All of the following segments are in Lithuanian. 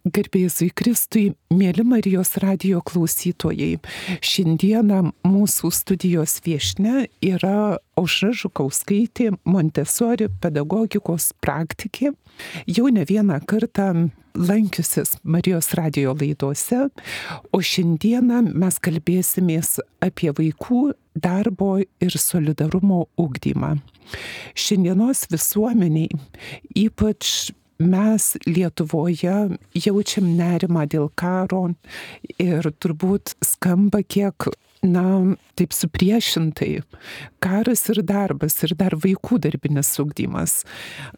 Garbė Jėzui Kristui, mėly Marijos radijo klausytojai. Šiandieną mūsų studijos viešnia yra Aušra Žukauskaitė, Montessori pedagogikos praktikė. Jau ne vieną kartą lankiusis Marijos radijo laidose, o šiandieną mes kalbėsimės apie vaikų darbo ir solidarumo ugdymą. Šiandienos visuomeniai, ypač mes Lietuvoje jaučiam nerimą dėl karo ir turbūt skamba kiek, taip supriešintai. Karas ir darbas ir dar vaikų darbinis ugdymas.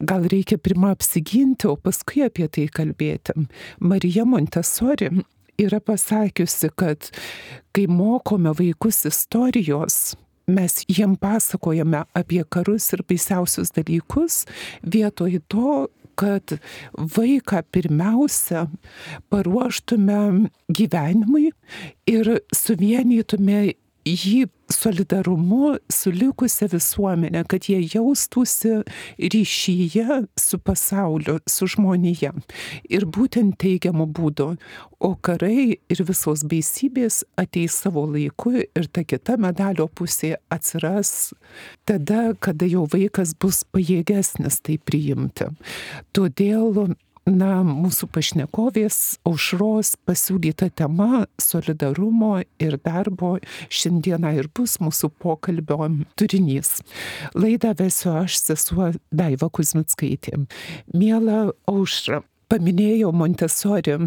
Gal reikia pirmą apsiginti, o paskui apie tai kalbėti. Marija Montessori yra pasakiusi, kad kai mokome vaikus istorijos, mes jiem pasakojame apie karus ir baisiausius dalykus, vietoj to, kad vaiką pirmiausia paruoštume gyvenimui ir suvienytume jį solidarumu su likusia visuomenė, kad jie jaustųsi ryšyje su pasauliu, su žmonija. Ir būtent teigiamu būdu. O karai ir visos baisybės ateis savo laiku ir ta kita medalio pusė atsiras tada, kada jau vaikas bus pajėgesnis tai priimti. Todėl mūsų pašnekovės Aušros pasiūlyta tema solidarumo ir darbo šiandieną ir bus mūsų pokalbio turinys. Laidą vesiu aš, sesuo Daiva Kuzmickaitė. Miela Aušra, paminėjau Montessori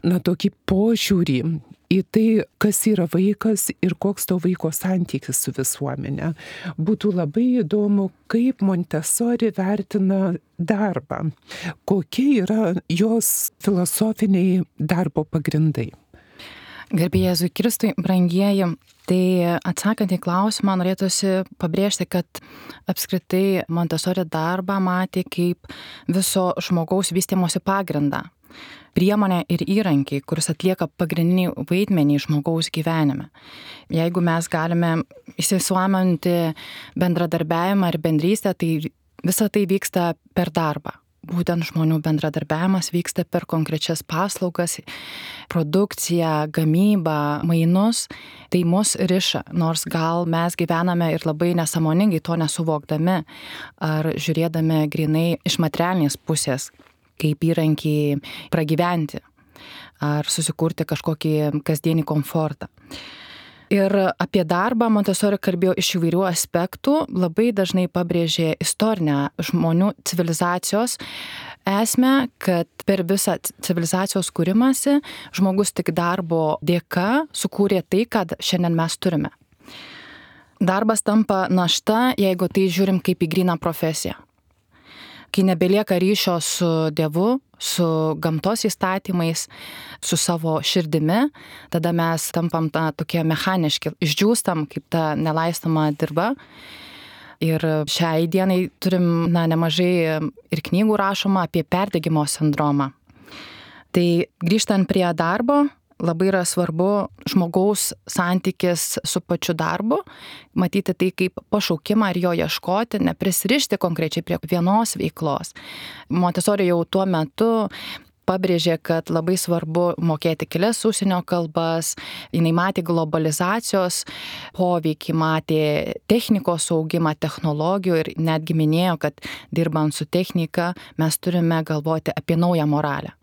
tokį požiūrį į tai, kas yra vaikas ir koks to vaiko santykis su visuomenė. Būtų labai įdomu, kaip Montessori vertina darbą, kokie yra jos filosofiniai darbo pagrindai. Garbė Jėzui Kristui, brangieji, tai atsakant į klausimą, norėtųsi pabrėžti, kad apskritai Montessori darbą matė kaip viso žmogaus vystymosi pagrindą, priemonė ir įrankiai, kuris atlieka pagrindinį vaidmenį žmogaus gyvenime. Jeigu mes galime įsisuominti bendradarbiavimą ir bendrystę, tai visa tai vyksta per darbą. Būtent žmonių bendradarbiavimas vyksta per konkrečias paslaugas, produkciją, gamybą, mainus. Tai mus riša, nors gal mes gyvename ir labai nesąmoningai to nesuvokdami ar žiūrėdami grinai iš materialinės pusės, kaip įrankiai pragyventi ar susikurti kažkokį kasdienį komfortą. Ir apie darbą Montessori kalbėjo iš įvairių aspektų, labai dažnai pabrėžė istorinę žmonių civilizacijos esmę, kad per visą civilizacijos kūrimąsi žmogus tik darbo dėka sukūrė tai, ką šiandien mes turime. Darbas tampa našta, jeigu tai žiūrim kaip į gryną profesiją. Kai nebelieka ryšio su Dievu, su gamtos įstatymais, su savo širdimi, tada mes tampam tokie mechaniški, išdžiūstam kaip ta nelaistoma dirba. Ir šiai dienai turim nemažai ir knygų rašoma apie perdegimo sindromą. Tai grįžtant prie darbo, labai yra svarbu žmogaus santykis su pačiu darbu, matyti tai kaip pašaukimą ir jo ieškoti, neprisirišti konkrečiai prie vienos veiklos. Montessori jau tuo metu pabrėžė, kad labai svarbu mokėti kelias užsienio kalbas, jinai matė globalizacijos poveikį, matė technikos augimą, technologijų ir netgi minėjo, kad dirbant su technika mes turime galvoti apie naują moralę.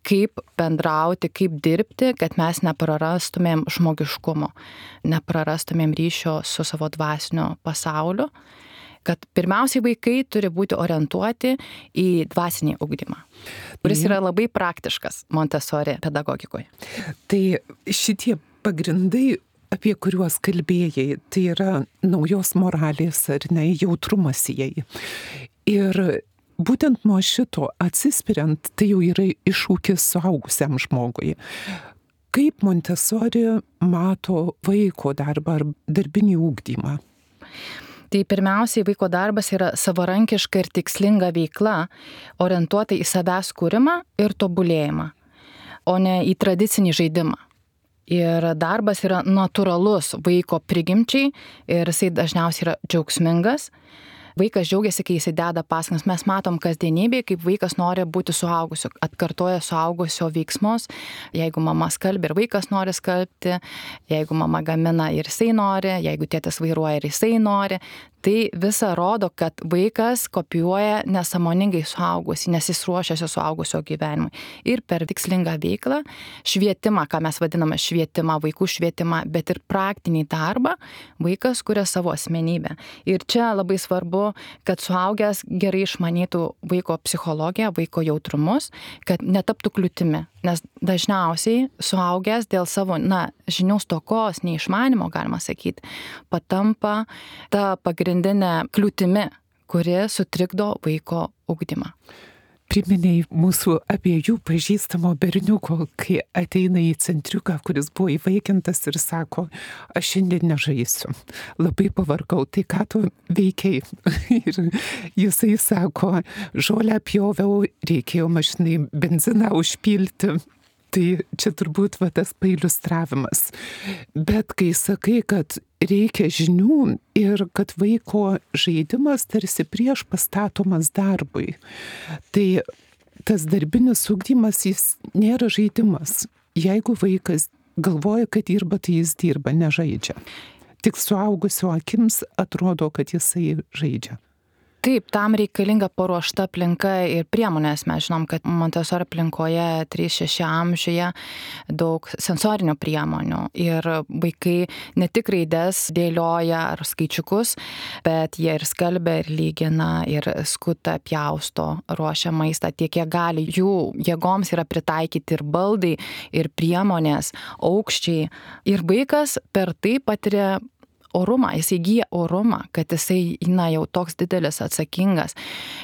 Kaip bendrauti, kaip dirbti, kad mes neprarastumėm žmogiškumo, neprarastumėm ryšio su savo dvasiniu pasauliu, kad pirmiausiai vaikai turi būti orientuoti į dvasinį ugdymą, kuris yra labai praktiškas Montessori pedagogikoje. Tai šitie pagrindai, apie kuriuos kalbėjai, tai yra naujos moralės ar ne, jautrumas jai. Ir būtent nuo šito atsispiriant, tai jau yra iššūkis suaugusiam žmogui. Kaip Montessori mato vaiko darbą ar darbinį ugdymą? Tai pirmiausiai vaiko darbas yra savarankiška ir tikslinga veikla, orientuota į savęs kūrimą ir tobulėjimą, o ne į tradicinį žaidimą. Ir darbas yra natūralus vaiko prigimčiai ir jisai dažniausiai yra džiaugsmingas. Vaikas džiaugiasi, kai jisai deda pastangas. Mes matom kasdienybėje, kaip vaikas nori būti suaugusiu, atkartoja suaugusio veiksmus. Jeigu mama skalbia ir vaikas nori skalbti, jeigu mama gamina ir jisai nori, jeigu tėtis vairuoja ir jisai nori, tai visa rodo, kad vaikas kopijuoja nesąmoningai suaugusį, nes jis ruošiasi suaugusio gyvenimui. Ir per tikslingą veiklą, švietimą, ką mes vadiname švietimą, vaikų švietimą, bet ir praktinį darbą, vaikas kuria savo asmenybę. Ir čia labai svarbu, kad suaugęs gerai išmanytų vaiko psichologiją, vaiko jautrumus, kad netaptų kliūtimi. Nes dažniausiai suaugęs dėl savo, žinių stokos, neišmanimo, galima sakyti, patampa ta pagrindinė kliūtimi, kuri sutrikdo vaiko ugdymą. Priminėjai mūsų abiejų pažįstamo berniuko, kai ateina į centriuką, kuris buvo įvaikintas ir sako, aš šiandien nežaisiu, labai pavargau, tai ką tu veikiai? Ir jisai sako, žolę pjoviau, reikėjo mašinai benziną užpilti. Tai čia turbūt tas pailiustravimas. Bet kai sakai, kad reikia žinių ir kad vaiko žaidimas tarsi prieš pastatomas darbui, tai tas darbinis ugdymas jis nėra žaidimas. Jeigu vaikas galvoja, kad dirba, tai jis dirba, nežaidžia. Tik suaugusio akims atrodo, kad jisai žaidžia. Taip, tam reikalinga paruošta aplinka ir priemonės. Mes žinom, kad Montessori aplinkoje 3-6 amžiuje daug sensorinių priemonių ir vaikai ne tik raides dėlioja ar skaičiukus, bet jie ir skalbia, ir lygina, ir skuta, pjausto, ruošia maistą tiek, kiek gali. Jų jėgoms yra pritaikyti ir baldai, ir priemonės, aukščiai. Ir vaikas per tai patiria orumą, jis įgyja orumą, kad jisai jau toks didelis atsakingas.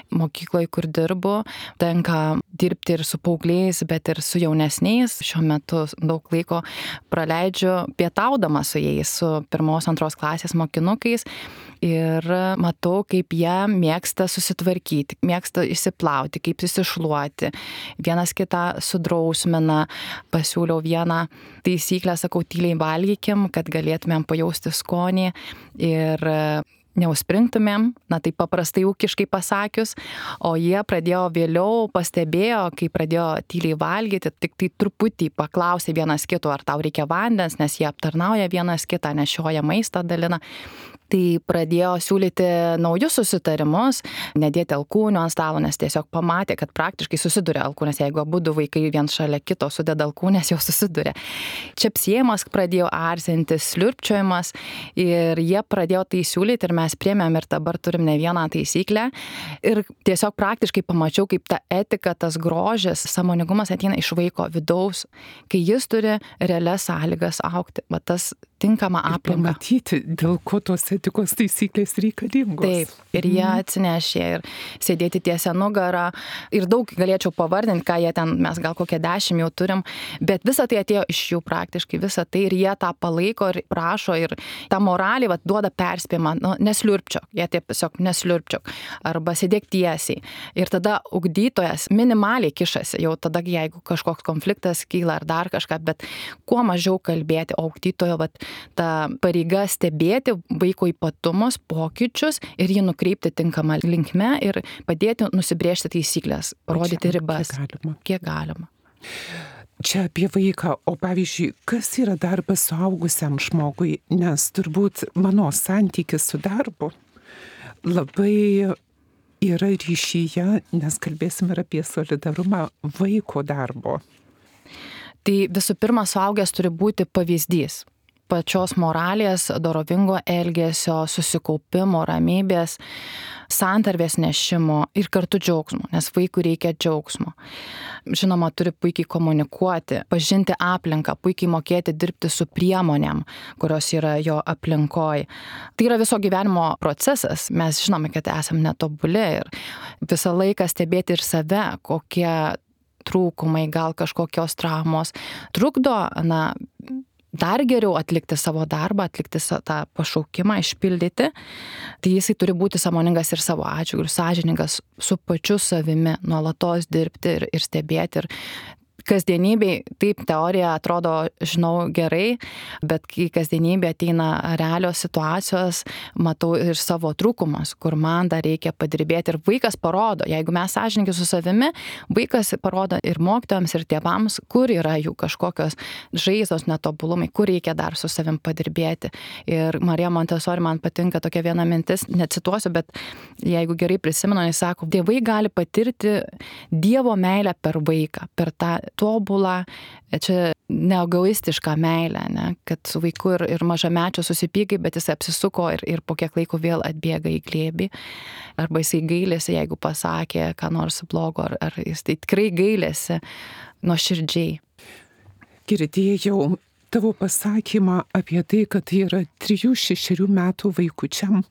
Mokykloje, kur dirbu, tenka dirbti ir su paaugliais, bet ir su jaunesniais. Šiuo metu daug laiko praleidžiu pietaudama su jais, su 1-2 klasės mokinukais. Ir matau, kaip jie mėgsta susitvarkyti, mėgsta išsiplauti, kaip susišluoti. Vienas kitą sudrausmina. Pasiūliau vieną taisyklę, sakau, tyliai valgykim, kad galėtumėm pajausti skonį ir neužspringtumėm, tai paprastai ūkiškai pasakius, o jie pradėjo vėliau, pastebėjo, kai pradėjo tyliai valgyti, tik tai truputį paklausė vienas kito, ar tau reikia vandens, nes jie aptarnauja vienas kitą, nešioja maistą, dalina. Tai pradėjo siūlyti naujus susitarimus, nedėti alkūnių ant stalo, nes tiesiog pamatė, kad praktiškai susiduria alkūnės. Jeigu abudu vaikai vien šalia kito sudeda alkūnės, jau susiduria. Čepsėjimas pradėjo arzintis, sliurpčiojimas ir jie pradėjo tai siūlyti ir mes priėmėm ir dabar turim ne vieną taisyklę. Ir tiesiog praktiškai pamačiau, kaip ta etika, tas grožis, sąmoningumas ateina iš vaiko vidaus, kai jis turi realias sąlygas augti. Va tas tinkama aplinka. Pamatyti, dėl ko tos etikos taisyklės reikalingos. Taip, ir jie atsinešė ir sėdėti tiesia nugarą. Ir daug galėčiau pavardinti, ką jie ten, mes gal kokie 10 jau turim, bet visa tai atėjo iš jų praktiškai, visa tai ir jie tą palaiko ir prašo ir tą moralį duoda perspėjimą, nesliurpčiok, jie tiesiog nesliurpčiok, arba sėdėk tiesiai. Ir tada ugdytojas minimaliai kišasi, jau tada, jeigu kažkoks konfliktas kyla ar dar kažką, bet kuo mažiau kalbėti, o ugdytojo ta pareiga stebėti vaiko ypatumus, pokyčius ir jį nukreipti tinkamą linkme ir padėti nusibrėžti taisyklės, rodyti ribas. Kiek galima. Čia apie vaiką, o pavyzdžiui, kas yra darbas suaugusiam žmogui, nes turbūt mano santykis su darbu labai yra ryšyje, nes kalbėsim ir apie solidarumą vaiko darbo. Tai visų pirma, suaugęs turi būti pavyzdys pačios moralės, dorovingo elgesio, susikaupimo, ramybės, santarvės nešimo ir kartu džiaugsmo, nes vaikui reikia džiaugsmo. Žinoma, turi puikiai komunikuoti, pažinti aplinką, puikiai mokėti dirbti su priemonėm, kurios yra jo aplinkoj. Tai yra viso gyvenimo procesas, mes žinome, kad esame netobuli ir visą laiką stebėti ir save, kokie trūkumai, gal kažkokios traumos trukdo, dar geriau atlikti savo darbą, atlikti tą pašaukimą, išpildyti, tai jisai turi būti sąmoningas ir savo atžvilgiu, ir sąžiningas su pačiu savimi, nuolatos dirbti ir stebėti. Ir kasdienybėj, taip, teorija atrodo, žinau gerai, bet kai kasdienybė ateina realios situacijos, matau ir savo trūkumus, kur man dar reikia padirbėti. Ir vaikas parodo, jeigu mes sąžininkai su savimi, vaikas parodo ir mokytojams, ir tėvams, kur yra jų kažkokios žaizdos, netobulumai, kur reikia dar su savim padirbėti. Ir Marija Montessori, man patinka tokia viena mintis, necituosiu, bet jeigu gerai prisimenu, jis sako, tėvai gali patirti Dievo meilę per vaiką, per tą tobulą, čia neegoistišką meilę, ne? Kad su vaiku ir mažamečio susipykai, bet jis apsisuko ir po kiek laiko vėl atbėga į glėbį, arba jisai gailėsi, jeigu pasakė ką nors blogo, ar jis tai tikrai gailėsi nuoširdžiai. Girdėjau tavo pasakymą apie tai, kad tai yra 3-6 metų vaikučiam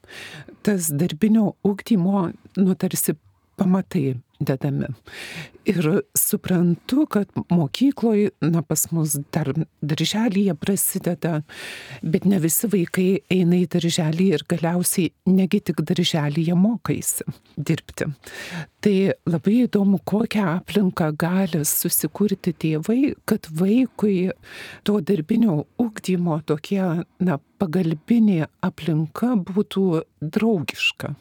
tas darbinio ugdymo, tarsi pamatai dedami. Ir suprantu, kad mokykloje, pas mus dar darželyje prasideda, bet ne visi vaikai eina į darželį ir galiausiai negi tik darželyje mokaisi dirbti. Tai labai įdomu, kokią aplinką gali susikurti tėvai, kad vaikui to darbinio ugdymo tokie, pagalbinė aplinka būtų draugiška.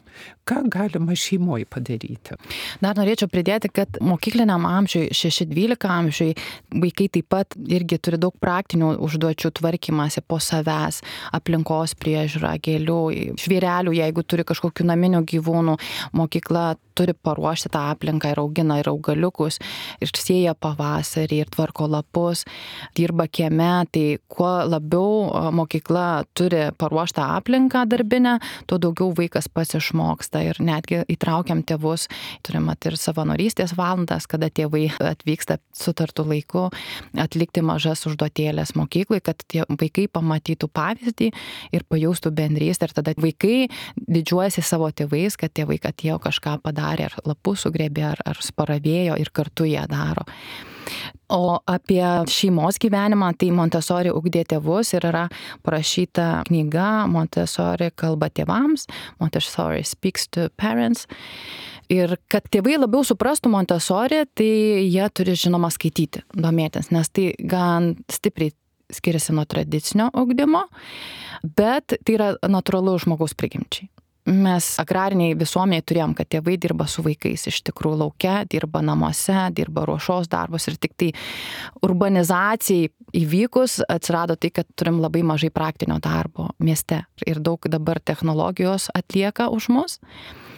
Ką galima šeimoje padaryti? Dar norėčiau pridėti, kad mokykliniam amžiui, 6-12 amžiui, vaikai taip pat irgi turi daug praktinių užduočių tvarkymasi po savęs, aplinkos priežiūra, gėlių, žvėrelių, jeigu turi kažkokių naminių gyvūnų, mokykla turi paruošti tą aplinką ir augina ir augaliukus, ir sėja pavasarį, ir tvarko lapus, dirba kieme, tai kuo labiau mokykla turi paruoštą aplinką darbinę, tuo daugiau vaikas pats išmoksta ir netgi įtraukiam tėvus, turim ir savanorystės valandas, kada tėvai atvyksta sutartu laiku atlikti mažas užduotėlės mokyklai, kad tie vaikai pamatytų pavyzdį ir pajaustų bendrystę, ir tada vaikai didžiuojasi savo tėvais, kad tėvai atėjo kažką padarė, ar lapus sugrėbė, ar sparavėjo ir kartu jie daro. O apie šeimos gyvenimą, tai Montessori ugdė tėvus ir yra parašyta knyga Montessori kalba tėvams, Montessori speaks to parents. Ir kad tėvai labiau suprastų Montessori, tai jie turi žinoma skaityti, domėtis, nes tai gan stipriai skiriasi nuo tradicinio ugdymo, bet tai yra natūralu žmogaus prigimčiai. Mes agrariniai visuomeniai turėjom, kad tėvai dirba su vaikais iš tikrųjų lauke, dirba namuose, dirba ruošos darbus, ir tik tai urbanizacijai įvykus atsirado tai, kad turim labai mažai praktinio darbo mieste ir daug dabar technologijos atlieka už mus.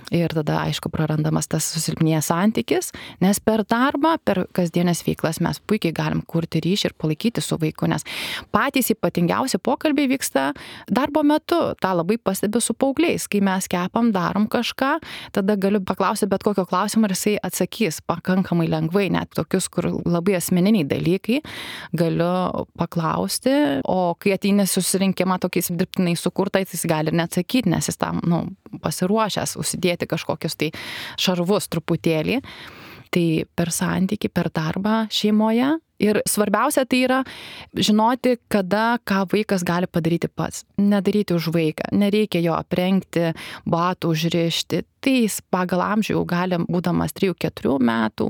Ir tada, aišku, prarandamas tas susilpnėjęs santykis, nes per darbą, per kasdienės veiklas mes puikiai galim kurti ryšį ir palaikyti su vaiku, nes patys ypatingiausi pokalbiai vyksta darbo metu. Ta labai pastebiu su paaugliais. Kai mes kepam, darom kažką, tada galiu paklausti bet kokio klausimo ir jisai atsakys pakankamai lengvai, net tokius, kur labai asmeniniai dalykai galiu paklausti, o kai ateini susirinkimą tokiais dirbtinai sukurtais, jis gali ir neatsakyti, nes jis tam, pasiruošęs užsidėti kažkokius tai šarvus truputėlį. Tai per santykį, per darbą šeimoje. Ir svarbiausia tai yra žinoti, kada ką vaikas gali padaryti pats. Nedaryti už vaiką. Nereikia jo aprengti, batų užrišti. Tai jis pagal amžių jau gali, būdamas 3-4 metų,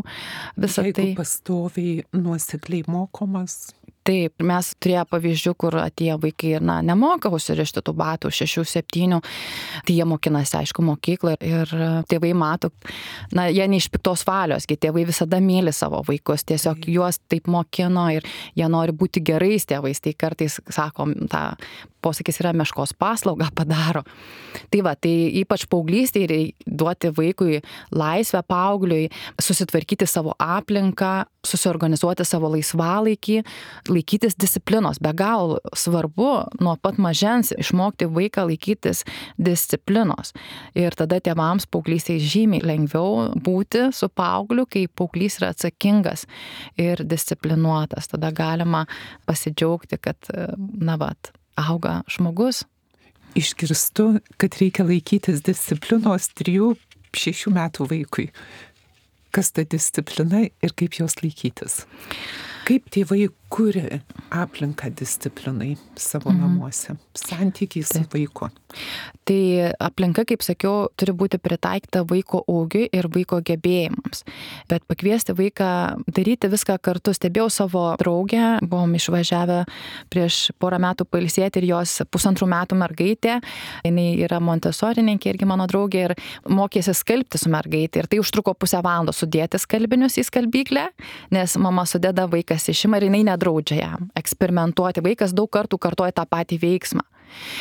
visą tai. Jeigu pastoviai nuosekliai mokomas. Taip, mes turėjo pavyzdžių, kur atėjo vaikai ir nemoka užsirišti tų batų 6-7, tai jie mokinasi, aišku, mokykloje ir tėvai mato, jie ne iš piktos valios, tėvai visada myli savo vaikus, tiesiog juos taip mokino ir jie nori būti gerais tėvais, tai kartais, sakom, tą posakis yra meškos paslaugą padaro. Tai va, tai ypač paauglystėje duoti vaikui laisvę, paaugliui, susitvarkyti savo aplinką, susiorganizuoti savo laisvalaikį, laikytis disciplinos. Be galo svarbu nuo pat mažens išmokti vaiką laikytis disciplinos. Ir tada tėvams paauglystėje žymiai lengviau būti su paaugliu, kai paauglys yra atsakingas ir disciplinuotas. Tada galima pasidžiaugti, kad, auga žmogus. Išgirstu, kad reikia laikytis disciplinos 3-6 metų vaikui. Kas ta disciplina ir kaip jos laikytis? Kaip tėvai kuria aplinką disciplinai savo namuose, santykiai su vaiku. Tai aplinka, kaip sakiau, turi būti pritaikyta vaiko ūgiui ir vaiko gebėjimams. Bet pakviesti vaiką daryti viską kartu. Stebėjau savo draugę, buvom išvažiavę prieš porą metų pailsėti ir jos 1,5 metų mergaitė. Jis yra montesorininkė irgi mano draugė ir mokėsi skalbti su mergaitė. Ir tai užtruko 0,5 valandos sudėti skalbinius į skalbyklę, nes mama sudeda, vaikas išima ir jinai nedraudžia jam eksperimentuoti. Vaikas daug kartų kartoja tą patį veiksmą.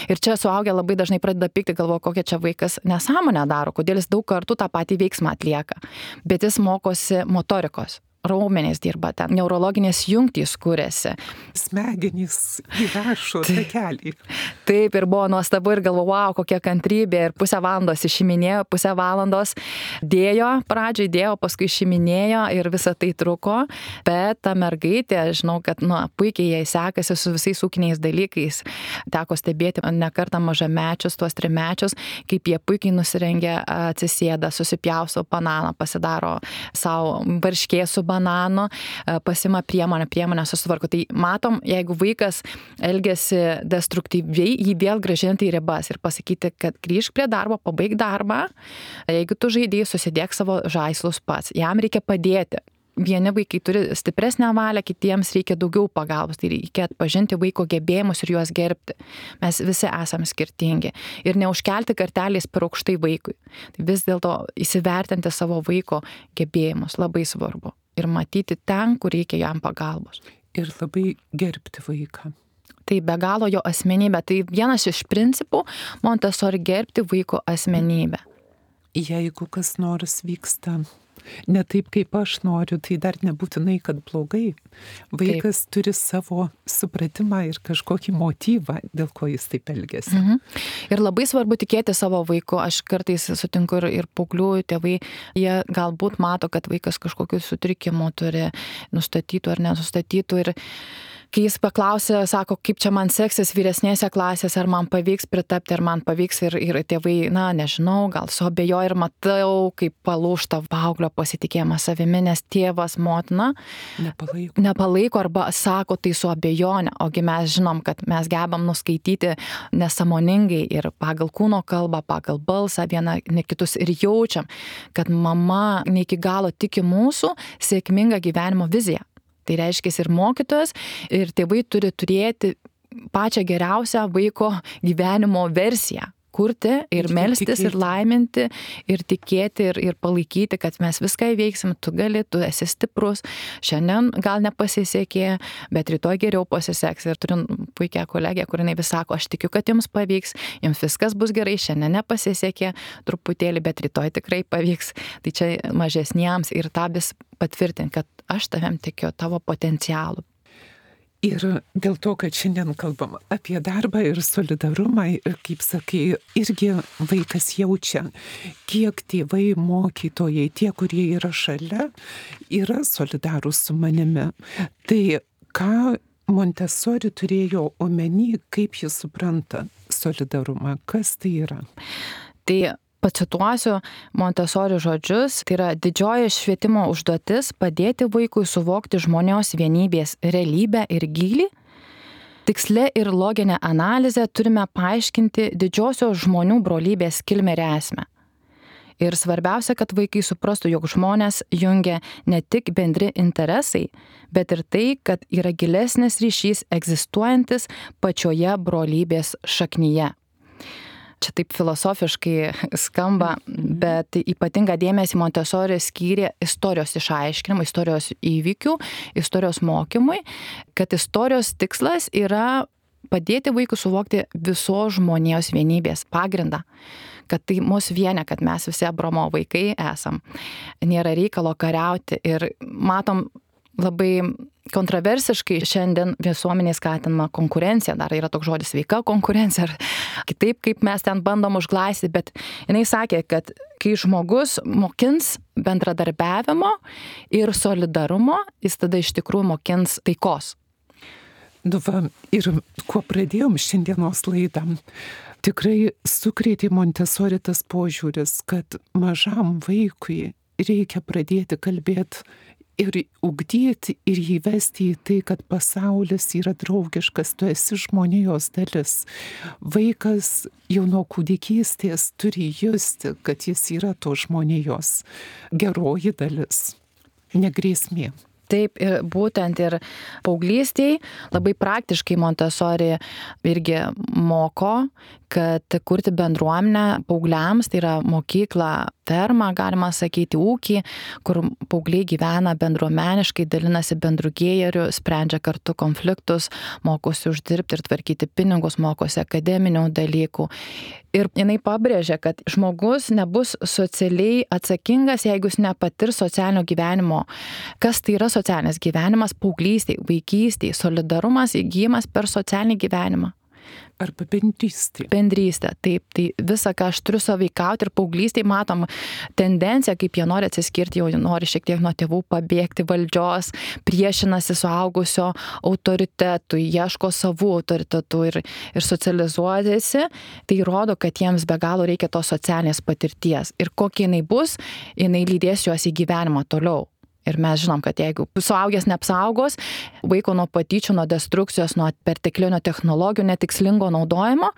Ir čia suaugę labai dažnai pradeda pykti, galvoja, kokia čia vaikas nesąmonę daro, kodėl jis daug kartų tą patį veiksmą atlieka. Bet jis mokosi motorikos. Raumenys dirba ten, neurologinės jungtys kūrėsi. Smegenys įrašo takelį. Taip, ir buvo nuostabu ir galvoju, wow, kokia kantrybė. Ir 0,5 valandos išiminėjo, 0,5 valandos pradžiai dėjo, paskui išiminėjo ir visa tai truko. Bet ta mergaitė, žinau, kad puikiai jai sekasi su visais ūkiniais dalykais. Teko stebėti ne kartą mažamečius, tuos 3-mečius, kaip jie puikiai nusirengia, atsisėda, susipjausto bananą, pasidaro savo varškės su bananu, pasima priemonę susitvarko. Tai matom, jeigu vaikas elgiasi destruktyviai, jį vėl grąžinti į ribas ir pasakyti, kad grįžk prie darbo, pabaig darbą, jeigu tu žaidėjai, susidėk savo žaislus pats. Jam reikia padėti. Vieni vaikai turi stipresnę valią, kitiems reikia daugiau pagalbos. Tai reikia atpažinti vaiko gebėjimus ir juos gerbti. Mes visi esame skirtingi. Ir neužkelti kartelės per aukštai vaikui. Tai vis dėlto įsivertinti savo vaiko gebėjimus labai svarbu. Ir matyti ten, kur reikia jam pagalbos. Ir labai gerbti vaiką. Tai be galo jo asmenybė. Tai vienas iš principų Montessori gerbti vaiko asmenybę. Jeigu kas nors vyksta ne taip, kaip aš noriu, tai dar nebūtinai, kad blogai. Vaikas turi savo supratimą ir kažkokį motyvą, dėl ko jis taip elgiasi. Ir labai svarbu tikėti savo vaiku. Aš kartais sutinku ir paauglių tėvai, jie galbūt mato, kad vaikas kažkokių sutrikimų turi, nustatytų ar nenustatytų. Ir kai jis paklausė, sako, kaip čia man seksis vyresnėse klasėse, ar man pavyks pritapti, ar man pavyks, ir tėvai, nežinau, gal suabejoja ir matau, kaip palūžta paauglio pasitikėjimas savimi, nes tėvas, motina nepalaiko arba sako tai su abejone, ogi mes žinom, kad mes gebam nuskaityti nesąmoningai ir pagal kūno kalbą, pagal balsą vieną ne kitus ir jaučiam, kad mama ne iki galo tiki mūsų sėkmingą gyvenimo viziją. Tai reiškia ir mokytojas, ir tėvai turi turėti pačią geriausią vaiko gyvenimo versiją. Kurti ir melstis ir laiminti ir tikėti ir palaikyti, kad mes viską įveiksim, tu gali, tu esi stiprus, šiandien gal nepasisekė, bet rytoj geriau pasiseks. Ir turim puikią kolegę, kur jinai vis sako, aš tikiu, kad jums pavyks, jums viskas bus gerai, šiandien nepasisekė truputėlį, bet rytoj tikrai pavyks. Tai čia mažesniems ir tą vis patvirtinti, kad aš tavim tikiu, tavo potencialų. Ir dėl to, kad šiandien kalbam apie darbą ir solidarumą, ir kaip sakai, irgi vaikas jaučia, kiek tėvai, mokytojai, tie, kurie yra šalia, yra solidarūs su manimi. Tai ką Montessori turėjo omeny, kaip jis supranta solidarumą, kas tai yra? Tai pacituosiu Montessori žodžius, tai yra didžioji švietimo užduotis padėti vaikui suvokti žmonijos vienybės realybę ir gylį. Tiksle ir loginę analizę turime paaiškinti didžiosios žmonių brolybės kilmę ir esmę. Ir svarbiausia, kad vaikai suprastų, jog žmonės jungia ne tik bendri interesai, bet ir tai, kad yra gilesnis ryšys egzistuojantis pačioje brolybės šaknyje. Čia taip filosofiškai skamba, bet ypatingą dėmesį Montessori skyrė istorijos išaiškinimui, istorijos įvykių, istorijos mokymui, kad istorijos tikslas yra padėti vaikui suvokti visos žmonijos vienybės pagrindą, kad tai mus vienia, kad mes visi Abraomo vaikai esam, nėra reikalo kariauti ir matom labai kontroversiškai šiandien visuomenė skatinama konkurencija, dar yra toks žodis sveika konkurencija, ar kitaip, kaip mes ten bandom užglaistyti, bet jinai sakė, kad kai žmogus mokins bendradarbiavimo ir solidarumo, jis tada iš tikrųjų mokins taikos. Ir kuo pradėjom šiandienos laidą, tikrai sukrėtė Montessori tas požiūris, kad mažam vaikui reikia pradėti kalbėti ir ugdyti ir įvesti į tai, kad pasaulis yra draugiškas, tu esi žmonijos dalis. Vaikas jau nuo kūdikystės turi justi, kad jis yra to žmonijos geroji dalis, ne grėsmė. Taip, ir būtent ir paauglystėj labai praktiškai Montessori irgi moko, kad kurti bendruomenę paaugliams, tai yra mokykla, ferma, galima sakyti, ūkį, kur paaugliai gyvena bendruomeniškai, dalinasi bendru gėriu, sprendžia kartu konfliktus, mokosi uždirbti ir tvarkyti pinigus, mokosi akademinių dalykų. Ir jinai pabrėžia, kad žmogus nebus socialiai atsakingas, jeigu jis nepatirs socialinio gyvenimo. Kas tai yra socialinis gyvenimas? Paauglystėj, vaikystėj, solidarumas įgyjimas per socialinį gyvenimą. Arba bendrystė. Bendrystė, taip, tai visą, ką aš turiu sąveikauti ir paauglystėj matom tendenciją, kaip jie nori atsiskirti, jau nori šiek tiek nuo tėvų pabėgti valdžios, priešinasi suaugusio autoritetui, ieško savų autoritetų ir socializuojasi, tai rodo, kad jiems be galo reikia tos socialinės patirties. Ir kokia jinai bus, jinai lydės juos į gyvenimą toliau. Ir mes žinom, kad jeigu suaugęs neapsaugos vaiko nuo patyčių, nuo destrukcijos, nuo perteklinio technologijų, netikslingo naudojimo,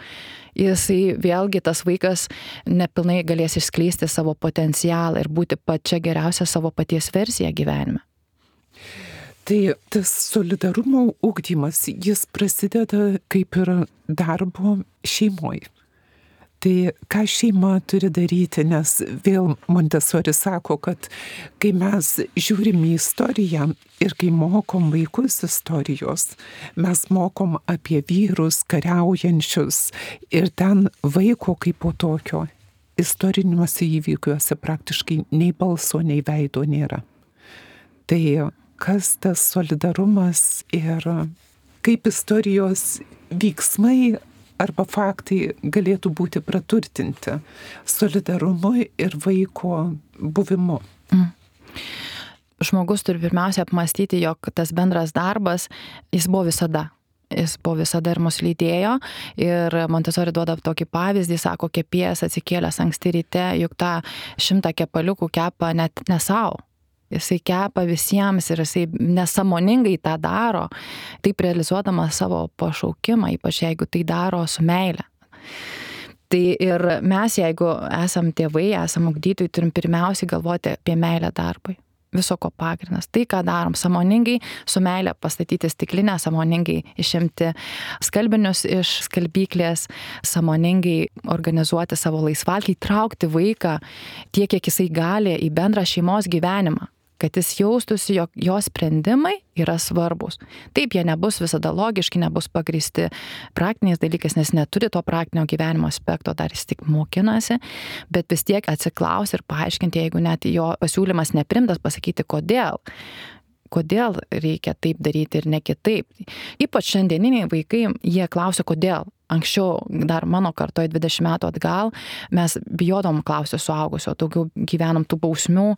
jisai vėlgi tas vaikas nepilnai galės išskleisti savo potencialą ir būti pačia geriausia savo paties versija gyvenime. Tai tas solidarumo ugdymas, jis prasideda kaip ir darbo šeimoje. Tai ką šeima turi daryti, nes vėl Montessori sako, kad kai mes žiūrim į istoriją ir kai mokom vaikus istorijos, mes mokom apie vyrus kariaujančius ir ten vaiko kaip po tokio istoriniuose įvykiuose praktiškai nei balso, nei veido nėra. Tai kas tas solidarumas ir kaip istorijos veiksmai arba faktai galėtų būti praturtinti solidarumu ir vaiko buvimu. Žmogus turi pirmiausia apmąstyti, jog tas bendras darbas, jis buvo visada. Jis buvo visada ir mus lydėjo. Ir Montessori duoda tokį pavyzdį, sako, kepėjas atsikėlęs anksti ryte, juk tą 100 kepaliukų kepa net ne savo. Jisai kepa visiems ir jisai nesąmoningai tą daro, taip realizuodamas savo pašaukimą, ypač jeigu tai daro su meile. Tai ir mes, jeigu esam tėvai, esam ugdytojai, turim pirmiausiai galvoti apie meilę darbui. Viso ko pagrindas. Tai, ką darom, sąmoningai su meile pastatyti stiklinę, sąmoningai išimti skalbinius iš skalbyklės, sąmoningai organizuoti savo laisvalgį, traukti vaiką tiek, kiek jisai gali į bendrą šeimos gyvenimą, kad jis jaustųsi, jog jo sprendimai yra svarbus. Taip, jie nebus visada logiški, nebus pagrįsti praktiniais dalykais, nes neturi to praktinio gyvenimo aspekto, dar jis tik mokinasi, bet vis tiek atsiklausti ir paaiškinti, jeigu net jo pasiūlymas neprimtas, pasakyti, kodėl reikia taip daryti ir ne kitaip. Ypač šiandieniniai vaikai, jie klausia, kodėl. Anksčiau, dar mano kartoje 20 metų atgal, mes bijodom klausti suaugusio, daugiau gyvenom tų bausmių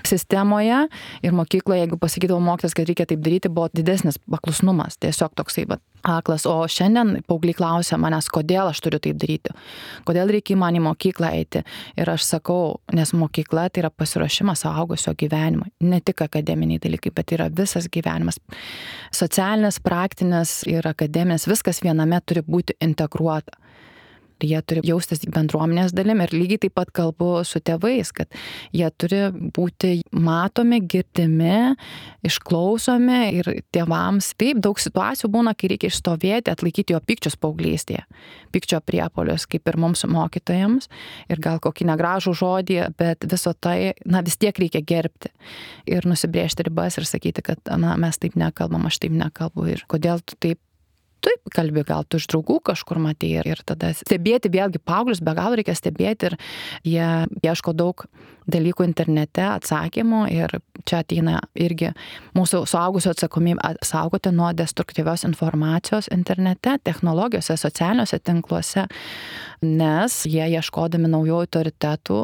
sistemoje ir mokykloje, jeigu pasakydavo mokytojas, kad reikia taip daryti, buvo didesnis paklusnumas, tiesiog toksai aklas. O šiandien paaugliai klausia manęs, kodėl aš turiu taip daryti, kodėl reikia man į mokyklą eiti. Ir aš sakau, nes mokykla tai yra pasiruošimas suaugusio gyvenimui, ne tik akademiniai dalykai, bet yra visas gyvenimas. Socialinis, praktinis ir akademinis, viskas viename turi būti integruota. Jie turi jaustis bendruomenės dalim ir lygiai taip pat kalbu su tėvais, kad jie turi būti matomi, girdimi, išklausomi ir tėvams. Taip, daug situacijų būna, kai reikia išstovėti, atlaikyti jo pykčius paauglystėje, pykčio priepuolius, kaip ir mums mokytojams, ir gal kokį negražų žodį, bet viso tai, vis tiek reikia gerbti ir nusibrėžti ribas ir sakyti, kad mes taip nekalbam, aš taip nekalbu ir kodėl tu taip kalbi, gal tu iš draugų kažkur matei ir tada stebėti vėlgi paauglius, be galo reikia stebėti ir jie ieško daug dalykų internete, atsakymų ir čia ateina irgi mūsų suaugusio atsakomybė saugoti nuo destruktyvios informacijos internete, technologijose, socialiniuose tinkluose, nes jie ieškodami naujų autoritetų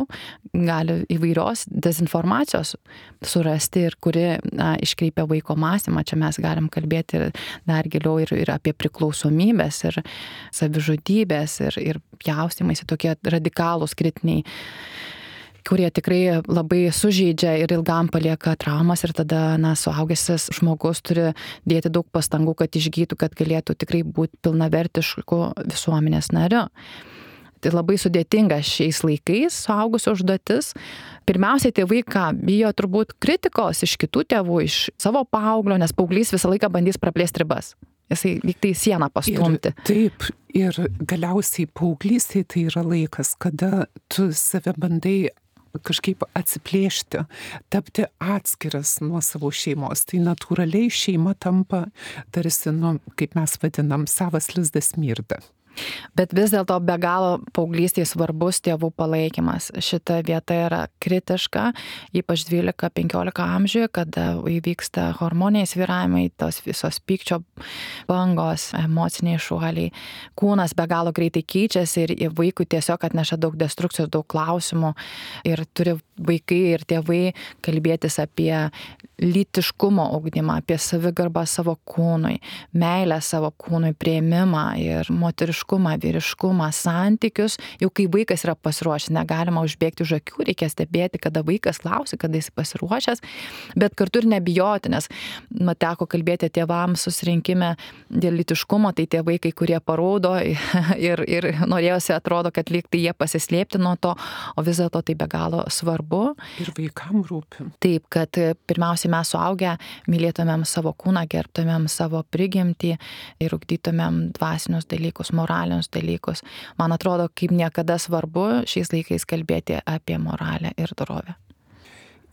gali įvairios dezinformacijos surasti ir kuri iškreipia vaiko mąstymą. Čia mes galim kalbėti ir dar giliau ir apie priklausomybės ir savižudybės ir pjaustymais tokie radikalūs kritiniai kurie tikrai labai sužeidžia ir ilgam palieka traumas ir tada, suaugęs žmogus turi dėti daug pastangų, kad išgytų, kad galėtų tikrai būti pilnavertišku visuomenės nariu. Tai labai sudėtinga šiais laikais suaugusio užduotis. Pirmiausiai tėvai bijo turbūt kritikos iš kitų tėvų, iš savo paauglio, nes paauglys visą laiką bandys praplėsti ribas. Jisai lyg tai sieną pastumti. Taip, ir galiausiai paauglystėje tai yra laikas, kada tu save bandai kažkaip atsiplėšti, tapti atskiras nuo savo šeimos. Tai natūraliai šeima tampa tarsi, kaip mes vadinam, savas lizdas mirda. Bet vis dėlto be galo paauglystėje svarbus tėvų palaikymas. Šita vieta yra kritiška, ypač 12-15 amžiuje, kada įvyksta hormoniniai svyravimai, tos visos pykčio bangos, emociniai šuoliai. Kūnas be galo greitai keičiasi ir vaikui tiesiog atneša daug destrukcijos, daug klausimų. Ir turi vaikai ir tėvai kalbėtis apie lytiškumo ugdymą, apie savigarbą savo kūnui, meilę savo kūnui, priėmimą ir moteriškumą, vyriškumą, santykius. Jau kai vaikas yra pasiruošęs, negalima užbėgti už akių, reikia stebėti, kada vaikas klausia, kada jis pasiruošęs, bet kartu ir nebijoti, nes teko kalbėti tėvams susirinkime dėl lytiškumo, tai tie vaikai, kurie parodo ir norėjosi, atrodo, kad lyg tai jie pasislėpti nuo to, o vis dėlto tai be galo svarbu. Ir vaikam rūpi. Taip, kad pirmiausiai mes suaugę mylėtumėm savo kūną, gerbtumėm savo prigimtį ir ugdytumėm dvasinius dalykus, moralinius dalykus. Man atrodo, kaip niekada svarbu šiais laikais kalbėti apie moralę ir dorovę.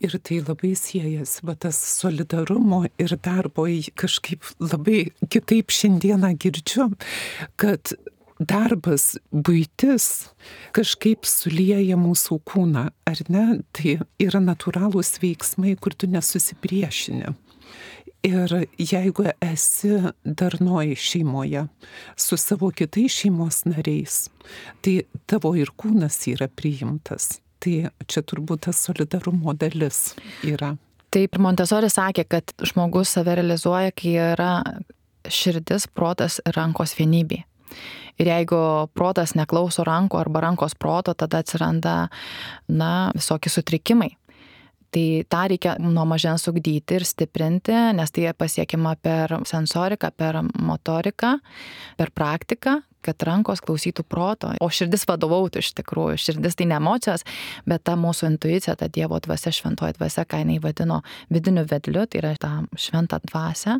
Ir tai labai siejasi, bet tas solidarumo ir darbo kažkaip labai kitaip šiandieną girdžiu, kad darbas, buitis kažkaip sulieja mūsų kūną, ar ne? Tai yra natūralūs veiksmai, kur tu nesusipriešini. Ir jeigu esi darnoj šeimoje su savo kitais šeimos nariais, tai tavo ir kūnas yra priimtas. Tai čia turbūt tas solidarumo dalis yra. Taip, Montessori sakė, kad žmogus save realizuoja, kai yra širdis, protas ir rankos vienybė. Ir jeigu protas neklauso rankų arba rankos proto, tada atsiranda, visokie sutrikimai. Tai tą reikia nuo mažens ugdyti ir stiprinti, nes tai pasiekiama per sensoriką, per motoriką, per praktiką, kad rankos klausytų proto, o širdis vadovautų iš tikrųjų. Širdis tai ne emocijos, bet ta mūsų intuicija, ta Dievo dvasia, šventoji dvasia, ką jinai vadino vidiniu vedliu, tai yra ta šventa dvasia,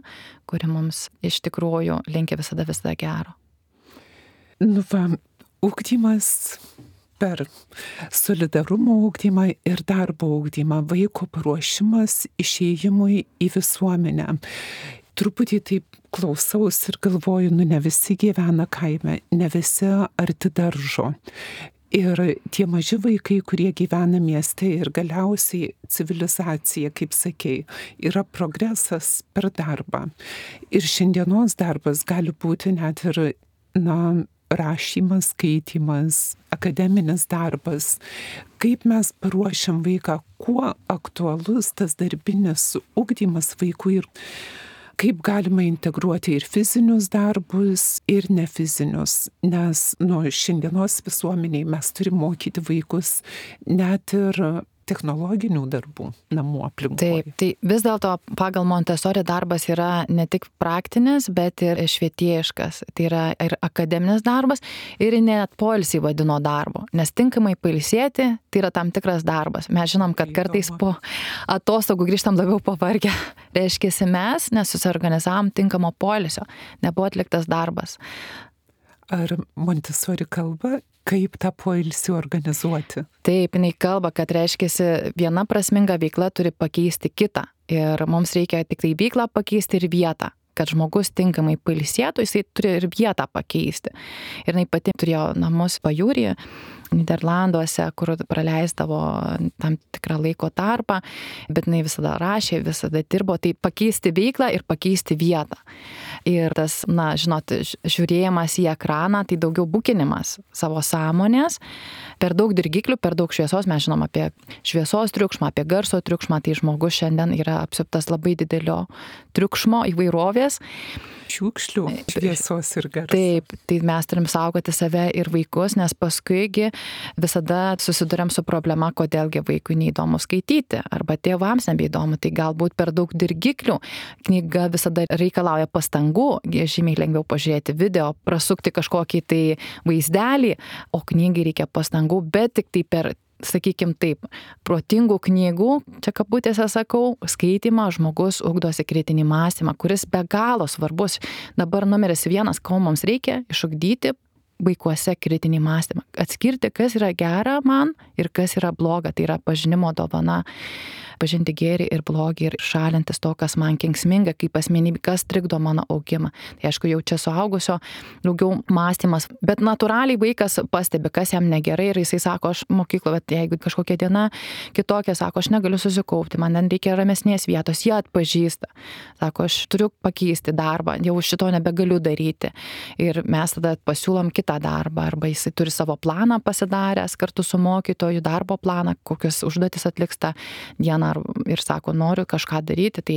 kuri mums iš tikrųjų linki visada gero. Ugdymas per solidarumo ugdymą ir darbo ugdymą, vaiko paruošimas išėjimui į visuomenę. Truputį taip klausaus ir galvoju, ne visi gyvena kaime, ne visi arti daržo. Ir tie maži vaikai, kurie gyvena mieste ir galiausiai civilizacija, kaip sakei, yra progresas per darbą. Ir šiandienos darbas gali būti net ir, rašymas, skaitimas, akademinis darbas. Kaip mes paruošiam vaiką, kuo aktualus tas darbinis ugdymas vaikui ir kaip galima integruoti ir fizinius darbus, ir nefizinius. Nes šiandienos visuomeniai mes turime mokyti vaikus net ir technologinių darbų namų aplinkoje. Taip, tai vis dėlto pagal Montessori darbas yra ne tik praktinis, bet ir švietėjiškas. Tai yra ir akademinis darbas, ir net poilsį vadino darbo. Nes tinkamai pailsėti, tai yra tam tikras darbas. Mes žinom, kad kartais po atostogų grįžtam labiau pavargę. Reiškiasi mes nesusiorganizavom tinkamo poilsio, nebuvo atliktas darbas. Ar Montessori kalba, kaip tą poilsį organizuoti? Taip, jinai kalba, kad reiškiasi viena prasminga veikla turi pakeisti kitą. Ir mums reikia tik tai veiklą pakeisti ir vietą. Kad žmogus tinkamai pailsėtų, jisai turi ir vietą pakeisti. Ir jinai pati turėjo namus pajūryje, Niderlanduose, kur praleisdavo tam tikrą laiko tarpą, bet jinai visada rašė, visada dirbo, tai pakeisti veiklą ir pakeisti vietą. Ir tas, žiūrėjimas į ekraną, tai daugiau bukinimas savo sąmonės, per daug dirgiklių, per daug šviesos, mes žinom apie šviesos triukšmą, apie garso triukšmą, tai žmogus šiandien yra apsuptas labai didelio triukšmo įvairovės. šiukšlių, šviesos ir garso. Taip, tai mes turim saugoti save ir vaikus, nes paskuigi visada susiduriam su problema, kodėlgi vaikui neįdomu skaityti, arba tėvams nebeįdomu, tai galbūt per daug dirgiklių. Knyga visada reikalauja pastangų, žymiai lengviau pažiūrėti video, prasukti kažkokį tai vaizdelį, o knygai reikia pastangų, bet tik tai per, sakykim taip, protingų knygų, čia kabutėse sakau, skaitymą žmogus ugdosi kritinį mąstymą, kuris be galo svarbus. Dabar numeris 1, ko mums reikia, išugdyti vaikuose kritinį mąstymą. Atskirti, kas yra gera man ir kas yra bloga, tai yra pažinimo dovana. Pažinti gėrį ir blogį ir šalintis to, kas man kenksminga, kaip asmenybė, kas trikdo mano augimą. Tai aišku, jau čia suaugusio daugiau mąstymas, bet natūraliai vaikas pastebi, kas jam negerai ir jisai sako, aš mokykloje, bet jeigu kažkokia diena kitokia, sako, aš negaliu susikaupti, man ten reikia ramesnės vietos, jie atpažįsta. Sako, aš turiu pakeisti darbą, jau šito nebegaliu daryti. Ir mes tada pasiūlom kitą darbą, arba jisai turi savo planą pasidaręs kartu su mokytoju, darbo planą, kokias užduotis atliks tą dieną ir sako, noriu kažką daryti, tai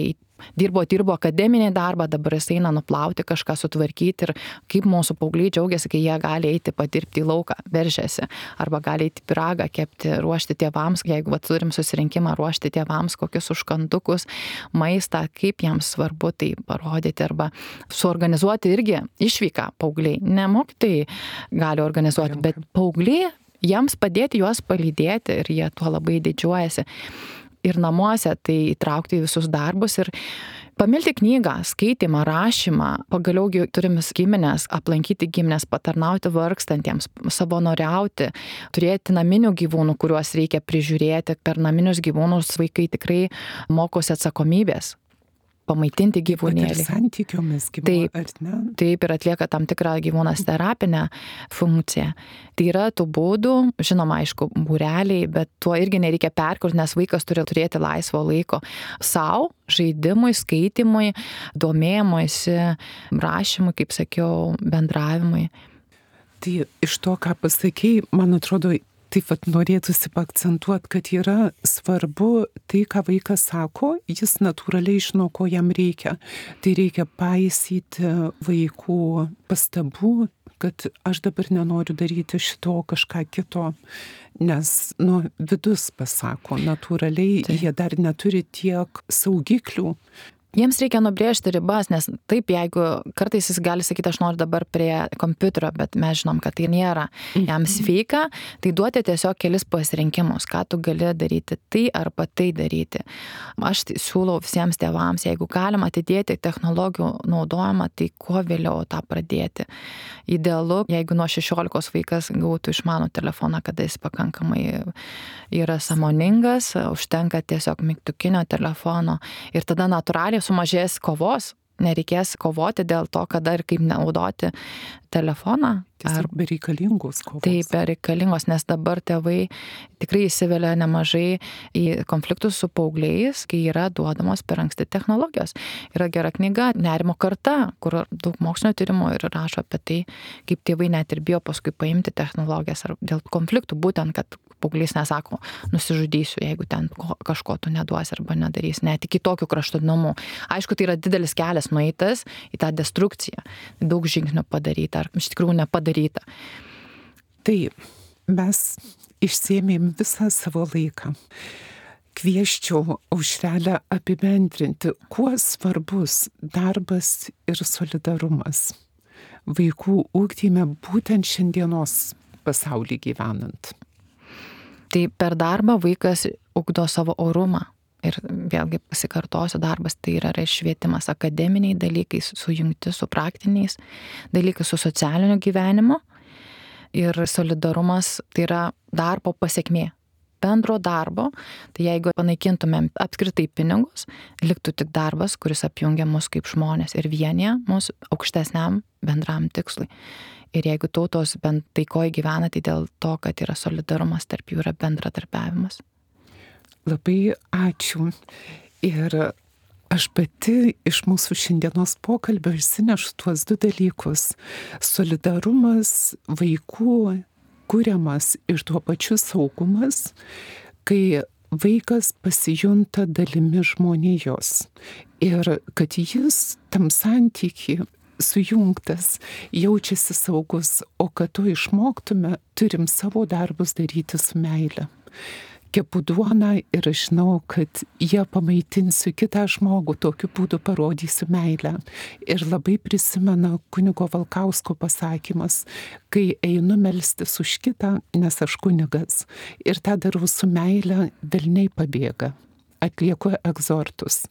dirbo akademinį darbą, dabar jis eina nuplauti, kažką sutvarkyti ir kaip mūsų paaugliai džiaugiasi, kai jie gali eiti padirbti į lauką, veržiasi, arba gali eiti pyragą kepti, ruošti tėvams, jeigu turim susirinkimą, ruošti tėvams kokius užkandukus, maistą, kaip jiems svarbu tai parodyti, arba suorganizuoti irgi išvyką paaugliai. Ne mokytojai gali organizuoti, bet paaugliai, jiems padėti juos palydėti ir jie tuo labai didžiuojasi. Ir namuose tai įtraukti į visus darbus ir pamilti knygą, skaitymą, rašymą, pagaliau turim giminės, aplankyti giminės, patarnauti vargstantiems, savanoriauti, turėti naminių gyvūnų, kuriuos reikia prižiūrėti. Per naminius gyvūnus vaikai tikrai mokosi atsakomybės. Pamaitinti gyvūnėlį. Ir santykiomis gyvūnų, ar ne? Taip, ir atlieka tam tikrą gyvūnas terapinę funkciją. Tai yra tų būdų, žinoma, aišku, būreliai, bet tuo irgi nereikia perkurti, nes vaikas turi turėti laisvo laiko savo, žaidimui, skaitimui, domėjimuisi, rašymui, kaip sakiau, bendravimui. Tai iš to, ką pasakei, man atrodo, taip pat norėtųsi paakcentuoti, kad yra svarbu tai, ką vaikas sako, jis natūraliai žino, ko jam reikia. Tai reikia paisyti vaikų pastabų, kad aš dabar nenoriu daryti šito kažką kito, nes vidus pasako, natūraliai jie dar neturi tiek saugiklių. Jiems reikia nubrėžti ribas, nes taip, jeigu kartais jis gali sakyti, aš noriu dabar prie kompiuterio, bet mes žinom, kad tai nėra jam sveika, tai duoti tiesiog kelis pasirinkimus, ką tu gali daryti tai arba tai daryti. Aš siūlau visiems tėvams, jeigu galima atidėti technologijų naudojimą, tai kuo vėliau tą pradėti. Idealu, jeigu nuo 16 vaikas gautų išmanų telefoną, kada jis pakankamai yra sąmoningas, užtenka tiesiog mygtukinio telefono ir tada natūraliai sumažės kovos, nereikės kovoti dėl to, kada ir kaip naudoti telefoną. Tiesiog bereikalingos kovos. Taip, bereikalingos, nes dabar tėvai tikrai įsivelia nemažai į konfliktus su paaugliais, kai yra duodamos per anksti technologijos. Yra gera knyga Nerimo karta, kur daug mokslinio tyrimų ir rašo apie tai, kaip tėvai net ir bijo paskui paimti technologijas ar dėl konfliktų, būtent, kad paauglys nesako, nusižudysiu, jeigu ten kažko tu neduosi arba nedarysi, net iki tokių kraštutinumų. Aišku, tai yra didelis kelias nueitas į tą destrukciją, daug žingsnių padaryta ar iš tikrųjų nepadaryta. Tai mes išsėmėm visą savo laiką. Kvieščiau Aušrelę apibendrinti, kuo svarbus darbas ir solidarumas vaikų ugdyme būtent šiandienos pasaulį gyvenant. Tai per darbą vaikas ugdo savo orumą. Ir vėlgi pasikartosiu, darbas tai yra švietimas, akademiniai dalykai sujungti su praktiniais dalykai, su socialiniu gyvenimu. Ir solidarumas tai yra darbo pasekmė. Bendro darbo, tai jeigu panaikintumėm apskritai pinigus, liktų tik darbas, kuris apjungia mus kaip žmonės ir vienyje mus aukštesniam bendram tikslui. Ir jeigu tautos bent taikoje gyvena, tai dėl to, kad yra solidarumas, tarp jų yra bendradarbiavimas. Labai ačiū. Ir aš pati iš mūsų šiandienos pokalbio išsinešu tuos 2 dalykus. Solidarumas vaikų kuriamas ir tuo pačiu saugumas, kai vaikas pasijunta dalimi žmonijos. Ir kad jis tam santykiui sujungtas, jaučiasi saugus, o kad to išmoktume, turim savo darbus daryti su meile. Kepu duoną ir aš žinau, kad ją pamaitinsiu kitą žmogų, tokiu būdu parodysiu meilę. Ir labai prisimena kunigo Valkausko pasakymas, kai einu melstis už kitą, nes aš kunigas. Ir tą darau su meile, velniai pabėga. Atlieku egzortus.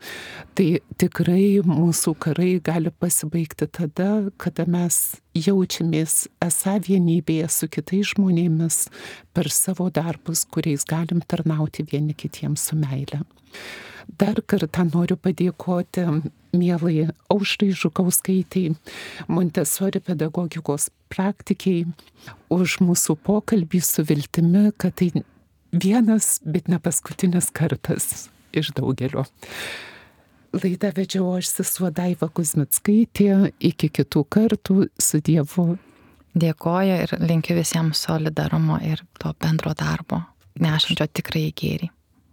Tai tikrai mūsų karai gali pasibaigti tada, kada mes jaučiamės esą vienybėje su kitais žmonėmis per savo darbus, kuriais galim tarnauti vieni kitiems su meile. Dar kartą noriu padėkoti mielai Aušrai Žukauskaitei, Montesori pedagogikos praktikiai, už mūsų pokalbį su viltimi, kad tai vienas, bet ne paskutinis kartas iš daugelio. Laidą vedžiau aš, sesuo Daiva Kuzmickaitė. Iki kitų kartų, su Dievu. Dėkoju ir linkiu visiems solidarumo ir to bendro darbo, nešančio tikrai gėrį.